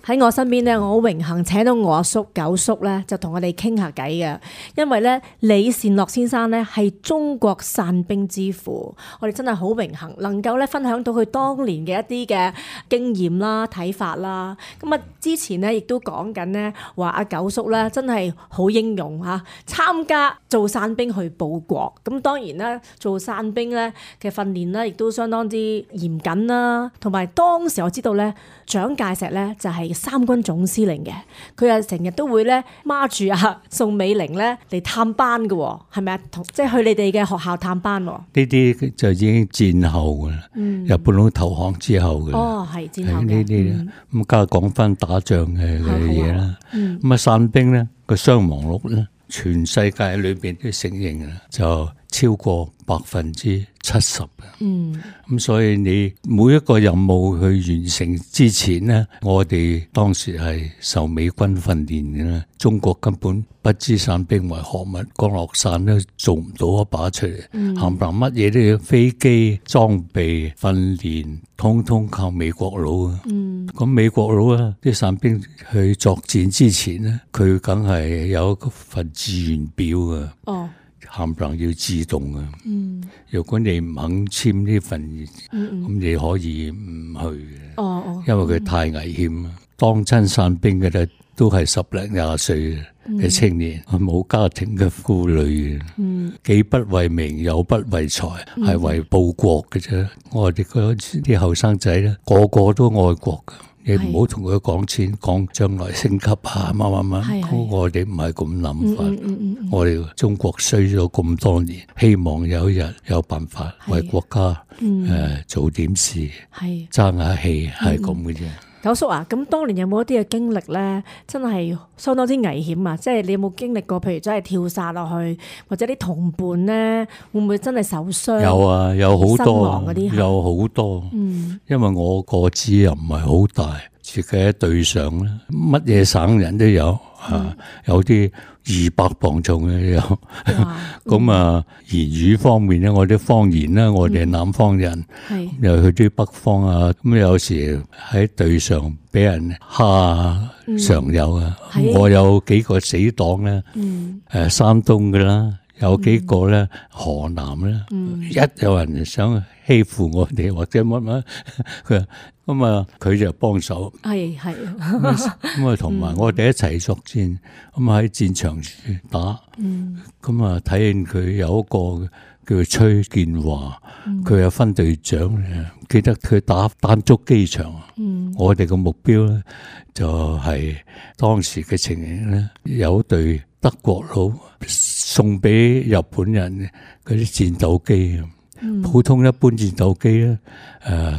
喺我身邊咧，我好榮幸請到我阿叔九叔咧，就同我哋傾下偈嘅。因為咧，李善樂先生咧係中國散兵之父，我哋真係好榮幸能夠咧分享到佢當年嘅一啲嘅經驗啦、睇法啦。咁啊，之前咧亦都講緊咧話阿九叔咧真係好英勇嚇，參加做散兵去報國。咁當然啦，做散兵咧嘅訓練咧亦都相當之嚴謹啦，同埋當時我知道咧，蔣介石咧就係三軍總司令嘅，佢啊成日都會咧孖住阿宋美齡咧嚟探班嘅，係咪啊？即係去你哋嘅學校探班。呢啲就已經戰後嘅啦，日本佬投降之後嘅。哦，係戰後嘅。呢啲咁，家講翻打仗嘅嘢啦。咁啊，散兵咧個傷亡率咧，全世界裏邊都承認啦，就超過70%嘅。咁所以你每一個任務去完成之前呢，我哋當時係受美軍訓練嘅啦。中國根本不知散兵為何物，降落傘都做唔到一把出嚟，冚唪唥乜嘢都要飛機裝備訓練，通通靠美國佬啊。咁美國佬啊，啲散兵去作戰之前呢，佢梗係有一份志願表啊。冚唪唥要自動啊！如果你唔肯簽呢份，咁你可以唔去嘅。因為佢太危險啊！當親散兵嘅咧，都係10零20歲嘅青年，冇家庭嘅顧慮嘅，己不為名，有不為財，係為報國嘅啫。我哋嗰啲後生仔咧，個個都愛國嘅。你唔好同佢講錢，講將來升級啊，乜。我哋唔係咁諗法。我哋中國衰咗咁多年，希望有一日有辦法為國家做點事，爭下氣係咁嘅啫。九叔啊，咁當年有冇一啲嘅經歷咧？真係相當之危險啊！即係你有冇經歷過？譬如真係跳傘落去，或者啲同伴咧，會唔會真係受傷？有啊，有好多，有好多。因為我個子又唔係好大，自己喺隊上咧，乜嘢省人都有啊，有啲200磅重嘅有。咁啊，言語方面咧，我啲方言咧，我哋係南方人，又去啲北方啊，咁有時喺隊上俾人蝦常有啊。我有幾個死黨咧，山東嘅啦，有幾個咧河南咧，一有人想欺負我哋或者乜，咁啊佢就幫手。咁啊同埋我哋一齊作戰，咁喺戰場打。咁啊睇見佢有一個叫崔建華，佢係分隊長嘅，記得佢打丹竹機場。我哋嘅目標咧就係當時嘅情形咧，有隊德國佬送俾日本人嗰啲戰鬥機。普通一般戰鬥機咧，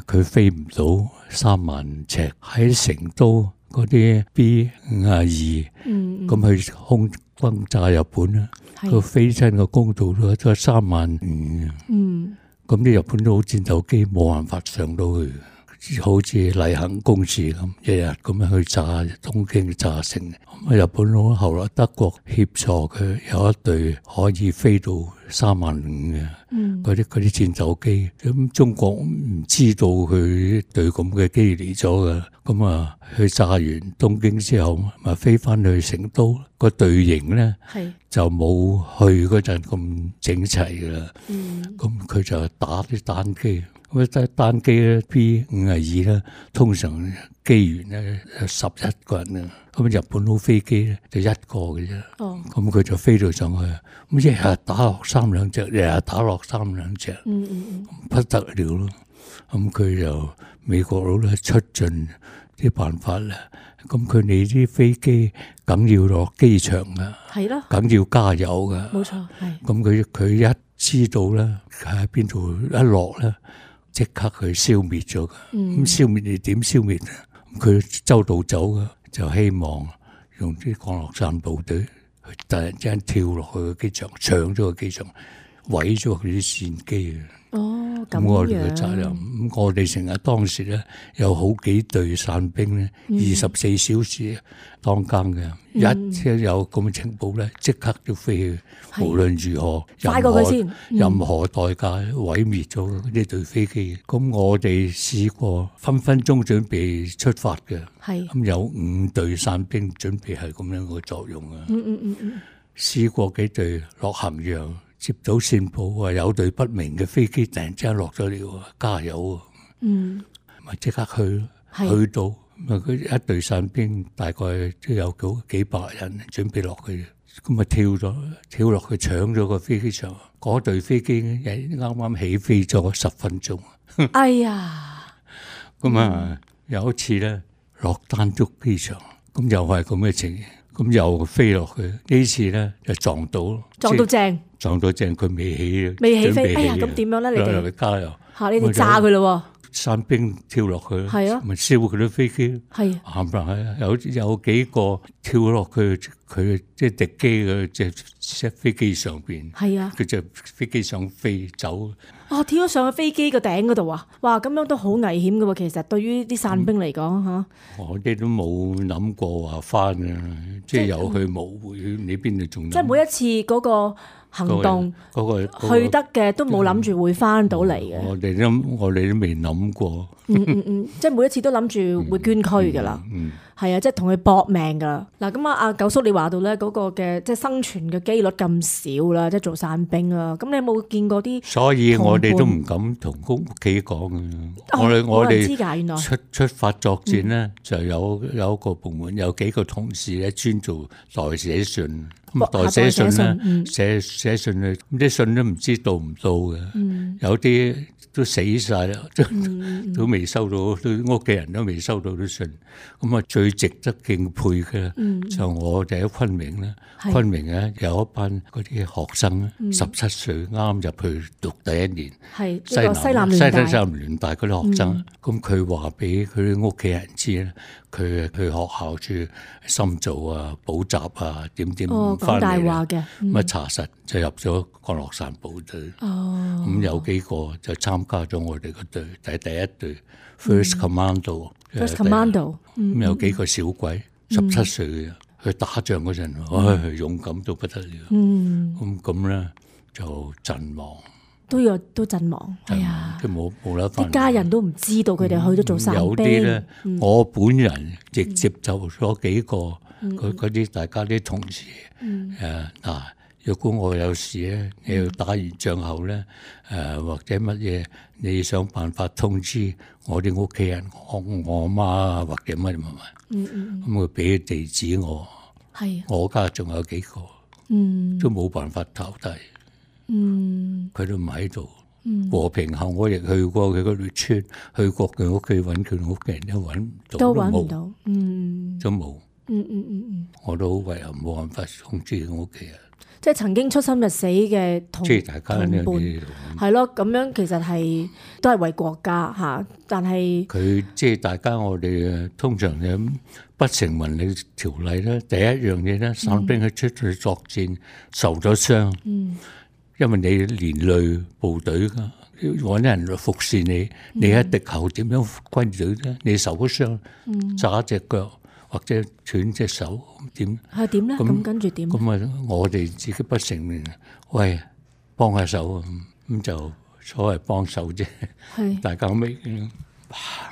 佢飛唔到3萬尺，喺成都嗰啲 B-52，咁去空轟炸日本啦，佢飛親個高度都3萬5，咁啲日本佬戰鬥機冇辦法上到去。好似例行公事咁，日日咁樣去炸東京炸城。咁日本佬後來德國協助佢有一隊可以飛到3萬5嘅嗰啲戰鬥機。咁中國唔知道佢隊咁嘅機嚟咗嘅，咁啊去炸完東京之後，咪飛翻去成都。個隊形咧就冇去嗰陣咁整齊噶啦。咁佢就打啲單機。咁單機咧 B-52咧，通常機員咧11個人啊，咁日本佬飛機咧就1個嘅啫。咁佢就飛到上去，咁一日打落3兩隻，日日打落3兩隻，不得了咯。咁佢就美國佬咧出盡啲辦法啦。咁佢哋啲飛機梗要落機場噶，梗要加油噶。冇錯，係。咁佢一知道咧喺邊度一落咧，即刻去消滅咗噶。咁消滅你點消滅啊？佢周到走噶，就希望用啲降落傘部隊去突然之間跳落去個機場，搶咗個機場。毀咗佢啲戰機啊！哦，咁咁我哋嘅責任，咁我哋成日當時咧有好幾隊傘兵咧，24小時當更嘅，一有咁嘅情報咧，即刻都飛去，無論如何，快過佢先，任何代價毀滅咗呢隊飛機。咁我哋試過分分鐘準備出發嘅，咁有5隊傘兵準備係咁樣嘅作用啊。試過幾隊落咸陽。接到線報話有隊不明嘅飛機突然之間落咗嚟，加油喎！咪即刻去到，咪佢一隊傘兵大概都有幾百人準備落去，咁咪跳落去搶咗個飛機場。嗰隊飛機啱啱起飛咗10分鐘。哎呀！咁啊，有一次咧落丹竹機場，咁又係咁嘅情形。咁又飛落去，呢次咧就撞到正，佢未起飛。哎呀，咁點樣咧？你哋加油嚇，你哋炸佢咯喎！傘兵跳落去，係啊，咪燒佢啲飛機。係冚唪唥有幾個跳落去佢即係敵機嘅隻飛機上邊。係啊，佢隻飛機想飛走。跳咗上去飛機個頂嗰度啊！哇，咁樣都好危險㗎喎。其實對於啲傘兵嚟講嚇，我哋都冇諗過話翻嘅，即係有去冇回，你邊度仲？即係每一次嗰個行動去得嘅都冇諗住會翻到嚟嘅。我哋都未諗過。即係每一次都諗住會捐軀㗎啦。係啊，即係同佢搏命㗎。嗱，咁阿九叔你話到咧嗰個嘅即係生存嘅機率咁少啦，即係做傘兵啊。咁你有冇見過啲？所以我哋都唔敢同屋企講嘅。我哋出發作戰咧，就有一個部門有幾個同事咧專做代寫信。代寫信咧，寫信咧，咁啲信都唔知到唔到嘅。有啲都死晒啦，都未收到，屋企人都未收到啲信。咁啊，最值得敬佩嘅就我哋喺昆明咧，昆明咧有一班嗰啲學生，17歲啱入去讀第1年，西南聯大嗰啲學生，咁佢話俾佢啲屋企人知咧，佢去學校住深造啊、補習啊，點翻嚟啦。咁查實就入咗降落傘部隊。咁有幾個就參加咗我哋個隊，第一隊 First Commando。咁有幾個小鬼，17歲嘅，去打仗嗰陣，勇敢到不得了。咁咧就陣亡。都陣亡。係啊，即冇得翻。啲家人都唔知道佢哋去咗做傘兵。有啲咧，我本人亦接就咗幾個嗰啲大家啲同事。如果我有事咧，你要打完仗後咧，或者乜嘢，你想辦法通知我啲屋企人，我媽啊，或者乜。咁佢俾地址我。係。我家仲有幾個。都冇辦法投遞。佢都唔喺度。和平後我亦去過佢嗰條村，去過佢屋企揾佢屋企人，都揾唔到。都冇。我都好遺憾，冇辦法通知我屋企人。即係曾經出生入死嘅同大家呢啲係咯，咁樣其實係都係為國家嚇，但係佢即係大家我哋通常嘅不成文理條例咧，第一樣嘢咧，傘兵佢出去作戰受咗傷，因為你連累部隊㗎，揾人服侍你，你喺敵後點樣軍隊咧？你受咗傷，炸隻腳。或者斷隻手點？係點咧？咁跟住點？咁啊，我哋自己不承認，喂，幫下手啊！咁就所謂幫手啫。係大家未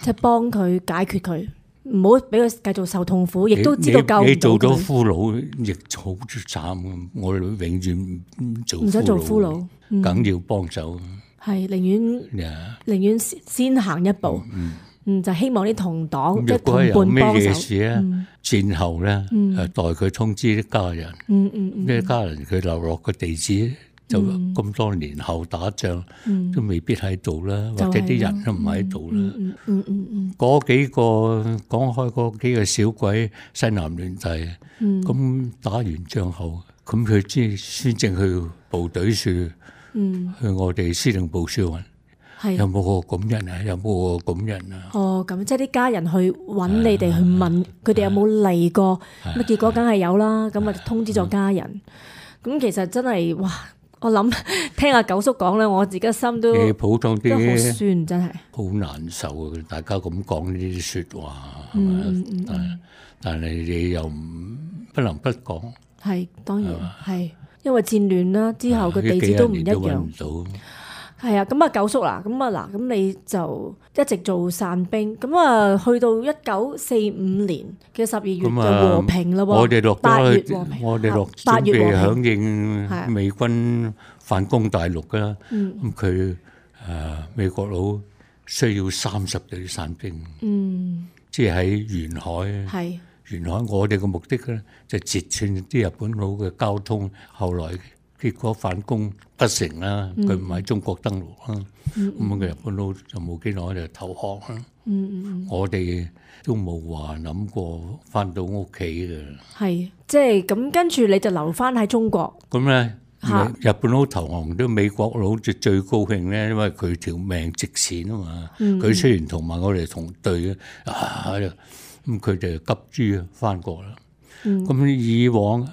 即係幫佢解決佢，唔好俾佢繼續受痛苦，亦都知道救唔到佢。你做咗俘虜，亦好慘。我哋永遠唔想做俘虜，梗要幫手。係寧願先行一步。就希望啲同黨即係同伴幫手。咩事咧？戰後咧，代佢通知啲家人。啲家人佢留落個地址，就咁多年後打仗都未必喺度啦，或者啲人都唔喺度啦。嗰幾個講開嗰幾個小鬼西南聯大，咁打完仗後，咁佢先正去部隊處，去我哋司令部處揾。有冇個咁人啊？有冇個咁人啊？咁即係啲家人去揾你哋去問佢哋有冇嚟過，咁結果梗係有啦。咁啊通知咗家人。咁其實真係哇，我諗聽阿九叔講咧，我自己心都普通啲，都好酸，真係好難受啊！大家咁講呢啲説話，係咪？但係你又不能不講。係當然係，因為戰亂啦，之後個地址都唔一樣。係啊，咁啊九叔啦，咁你就一直做傘兵，咁啊去到1945年嘅12月就和平啦喎。我哋落8月和平，我哋落準備響應美軍反攻大陸噶啦。咁佢美國佬需要30隊傘兵，即係喺沿海。沿海我哋嘅目的咧就截斷啲日本佬嘅交通，後來結果反攻不成啦，佢唔喺中國登陸啦，咁個日本佬就冇幾耐就投降啦。我哋都冇話諗過翻到屋企嘅。係，即係咁跟住你就留翻喺中國。咁咧，日本佬投降都美國佬就最高興咧，因為佢條命值錢啊嘛。佢雖然同埋我哋同隊咁佢哋急於翻國啦。咁以往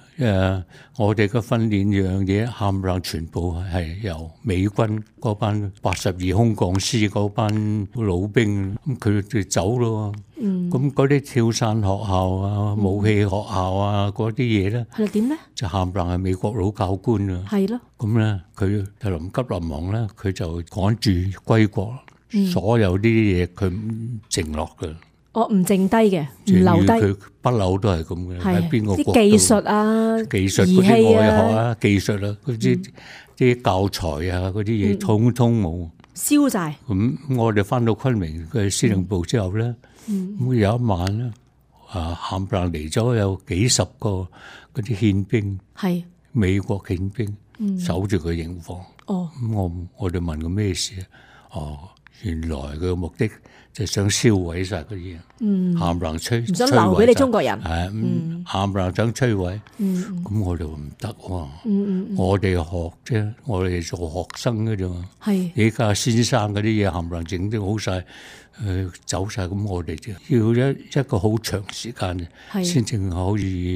我哋嘅訓練樣嘢冚唪唥全部係由美軍嗰班82空降師嗰班老兵，咁佢哋走咯。咁嗰啲跳傘學校啊、武器學校啊嗰啲嘢咧，係點咧？就冚唪唥係美國佬教官啊。係咯。咁咧，佢就臨急臨忙咧，佢就趕住歸國，所有呢啲嘢佢唔剩落嘅。我唔剩低嘅，唔留低。佢不嬲都係咁嘅，喺邊個國度？啲技術啊、儀器啊、技術啊、嗰啲教材啊、嗰啲嘢，通通冇燒晒。咁我哋翻到昆明嘅司令部之後咧，咁有一晚咧，冚唪唥嚟咗有幾十個嗰啲憲兵，係美國憲兵守住個營房。咁我哋問佢咩事啊？原來佢嘅目的就想燒毀晒嗰啲嘢，冚唪唥摧，唔想留俾你中國人，冚唪唥想摧毀。咁我哋唔得喎，我哋學啫，我哋做學生嘅啫嘛。而家先生嗰啲嘢冚唪唥整得好晒，走晒，咁我哋就要一個好長時間先至可以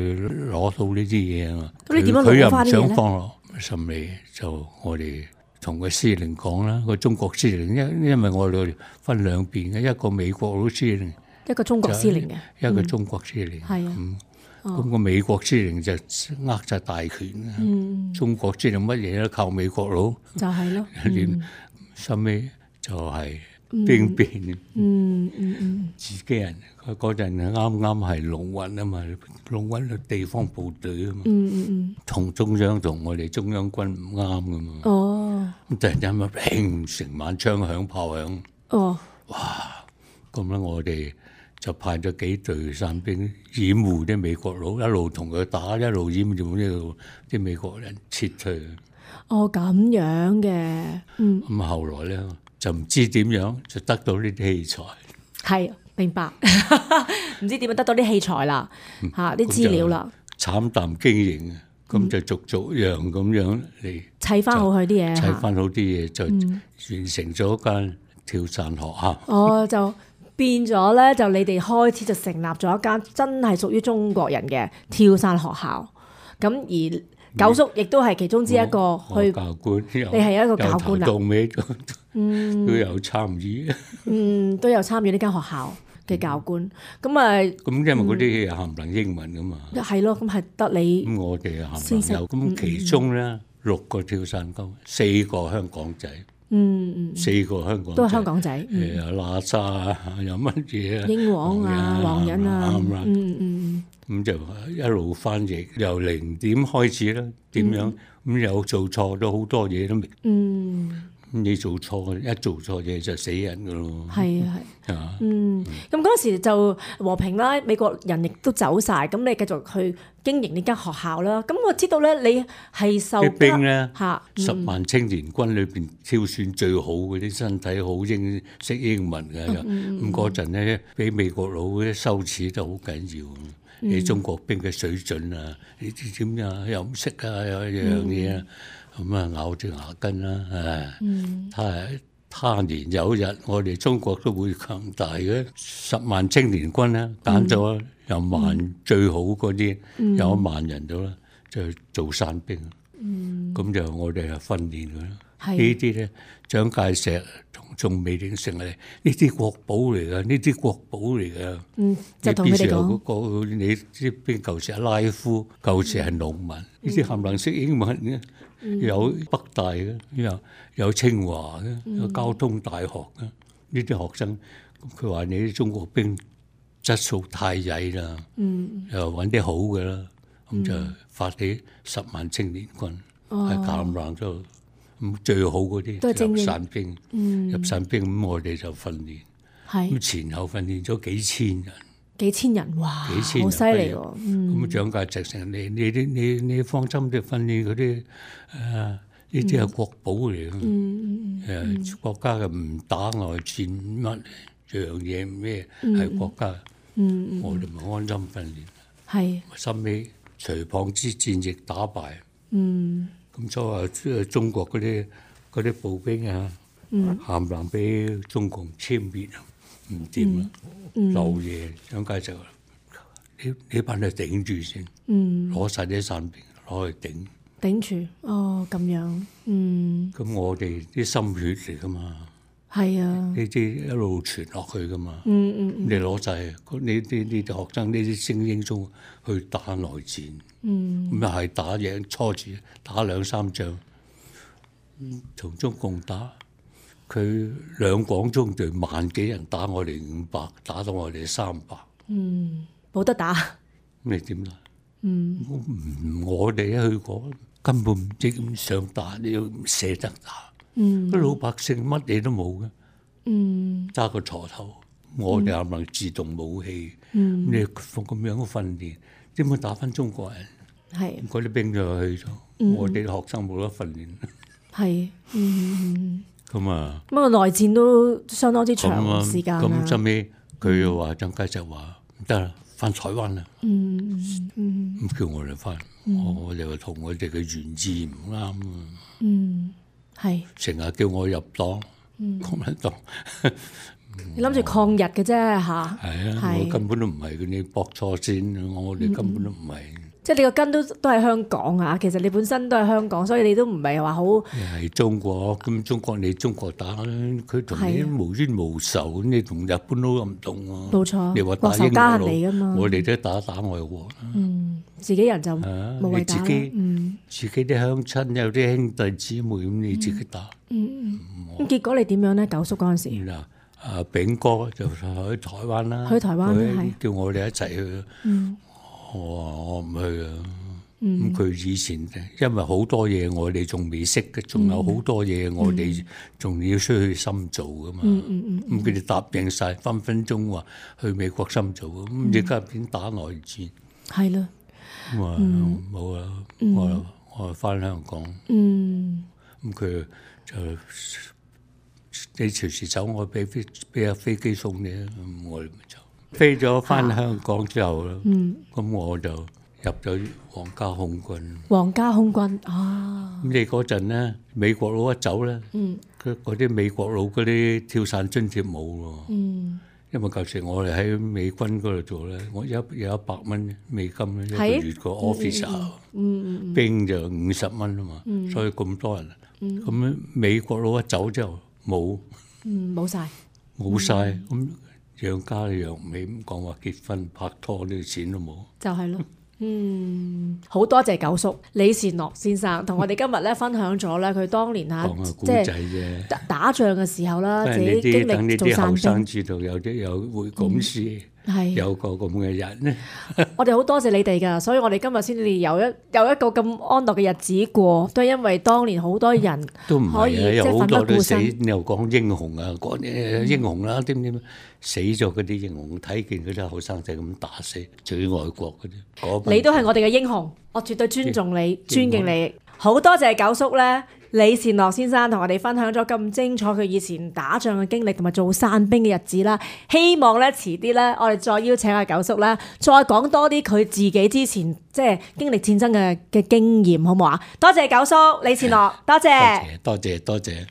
攞到呢啲嘢啊嘛。咁你點樣攞翻啲嘢咧？佢又唔想放落，甚至就我哋同個司令講啦，個中國司令，因為我哋分兩邊嘅，一個美國佬司令，一個中國司令嘅，一個中國司令。係啊，咁個美國司令就握晒大權啊，中國司令乜嘢都靠美國佬，就係咯。收尾就係兵變，自己人嗰陣啱啱係龍運啊嘛，龍運嘅地方部隊啊嘛，同中央同我哋中央軍唔啱噶嘛。咁突然間咪砰，成晚槍響炮響。哇！咁咧我哋就派咗幾隊傘兵掩護啲美國佬，一路同佢打，一路掩住呢度啲美國人撤退。咁樣嘅。咁後來咧就唔知點樣就得到呢啲器材。係，明白。唔知點樣得到啲器材啦，啲資料啦。慘淡經營，咁就逐樣咁樣嚟砌翻好佢啲嘢，砌翻好啲嘢就完成咗間跳傘學校。就變咗咧，就你哋開始就成立咗一間真係屬於中國人嘅跳傘學校。咁而九叔亦都係其中之一個去教官，你係一個教官啦，到尾都有參與，都有參與呢間學校嘅教官。咁因為嗰啲嘢冚唪唥英文噶嘛，係咯，咁係得你。咁我哋冚唪唥有，咁其中咧6個跳傘工，4個香港仔，4個香港仔都係香港仔，喇沙啊，有乜嘢啊，英皇啊，黃人啊，咁就一路翻譯，由0點開始啦，點樣咁有做錯咗好多嘢都明。你做錯，一做錯嘢就死人噶咯。係。咁嗰時就和平啦，美國人亦都走晒，咁你繼續去經營呢間學校啦。咁我知道咧，你係受啲兵咧，10萬青年軍裏邊挑選最好嗰啲，身體好識英文嘅。咁嗰陣咧，俾美國佬嗰啲羞恥都好緊要。你中國兵嘅水準啊，你知點啊？又唔識啊，有樣嘢啊。咁啊咬住牙根啦，他年有日我哋中國都會強大嘅。10萬青年軍咧，揀咗有萬最好嗰啲，有1萬人到啦，就做傘兵。咁就我哋係訓練佢啦。係呢啲咧蔣介石同宋美齡成嚟，呢啲國寶嚟噶，呢啲國寶嚟噶。就同佢哋講，嗰個你知邊舊時係拉夫，舊時係農民，呢啲冚唪唥識英文嘅，有北大嘅，有清華嘅，有交通大學嘅，呢啲學生，佢話你啲中國兵質素太曳啦，又揾啲好嘅啦，咁就發起10萬青年軍，喺冚唪唥都咁最好嗰啲入散兵，入散兵咁我哋就訓練，咁前後訓練咗幾千人，哇，好犀利喎！咁蔣介石成你放心啲訓練嗰啲呢啲係國寶嚟嘅，國家嘅唔打外戰乜樣嘢咩係國家，我哋咪安心訓練。係，收尾徐蚌之戰役打敗，咁所以中國嗰啲步兵啊，冚唪唥俾中共殲滅啊，唔掂啦，漏夜蔣介石話呢班人頂住先，攞晒啲散兵攞去頂住，咁樣，咁我哋啲心血嚟噶嘛。係啊，呢啲一路傳落去噶嘛。你攞晒呢啲學生呢啲精英中去打內戰，咁又係打贏初住打2-3仗，同中共打，佢兩廣中隊1萬幾人打我哋500，打到我哋300。冇得打。咁你點打？我哋一去過根本唔知咁想打，你又唔捨得打。啲老百姓乜嘢都冇嘅，揸個鋤頭，我哋冚唪唥自動武器，你咁樣嘅訓練，點會打翻中國人？係嗰啲兵就去咗，我哋啲學生冇得訓練。係，咁啊，咁個內戰都相當之長時間啦。咁後尾佢又話蔣介石話唔得啦，翻台灣啦。咁叫我哋翻，我哋話同我哋嘅原意唔啱啊。係成日叫我入黨，共產黨。你諗住抗日嘅啫嚇？係啊，我根本都唔係你駁錯線，我哋根本都唔係。即係你個根都係香港啊！其實你本身都係香港，所以你都唔係話好。係中國咁，中國打佢同你無冤無仇，你同日本都唔同喎。冇錯，你話打英國，我哋都打外國。自己人就冇謂打。自己啲鄉親有啲兄弟姊妹咁，你自己打。咁結果你點樣咧？九叔嗰陣時，嗱，炳哥就去台灣啦，去台灣係叫我哋一齊去。我話我唔去啊。咁佢以前因為好多嘢我哋仲未識嘅，仲有好多嘢我哋仲要需去深造噶嘛。咁佢哋答應晒，分分鐘話去美國深造。咁而家變打內戰。係啦。咁啊冇啦，我翻香港。咁佢就你隨時走，我俾架飛機送你啊！咁我哋咪走。飛咗翻香港之後啦，咁我就入咗皇家空軍。皇家空軍啊！咁你嗰陣咧，美國佬一走咧，嗰啲美國佬嗰啲跳傘津貼冇喎。因為舊時我哋喺美軍嗰度做咧，我有100蚊美金咧，一個月個 officer，兵就50蚊啊嘛，所以咁多人。咁美國佬一走之後冇，冇晒，咁養家養唔起，咁講話結婚拍拖呢啲錢都冇，就係咯。好多謝九叔李善樂先生同我哋今日咧分享咗咧佢當年即係打仗嘅時候啦，自己經歷做散兵。等呢啲後生知道有會咁事。有個咁嘅人咧，我哋好多謝你哋噶，所以我哋今日先至有一個咁安樂嘅日子過，都係因為當年好多人都唔可以係即係奮不顧身。你又講英雄啊，講英雄啦，點死咗嗰啲英雄，睇見嗰啲後生仔咁打死，最愛國嗰啲。你都係我哋嘅英雄，我絕對尊重你、尊敬你。好多謝九叔咧，李善樂先生同我哋分享咗咁精彩佢以前打仗嘅經歷同埋做散兵嘅日子啦。希望咧遲啲咧，我哋再邀請阿九叔啦，再講多啲佢自己之前即係經歷戰爭嘅經驗，好唔好啊？多謝九叔李善樂，多謝。多謝。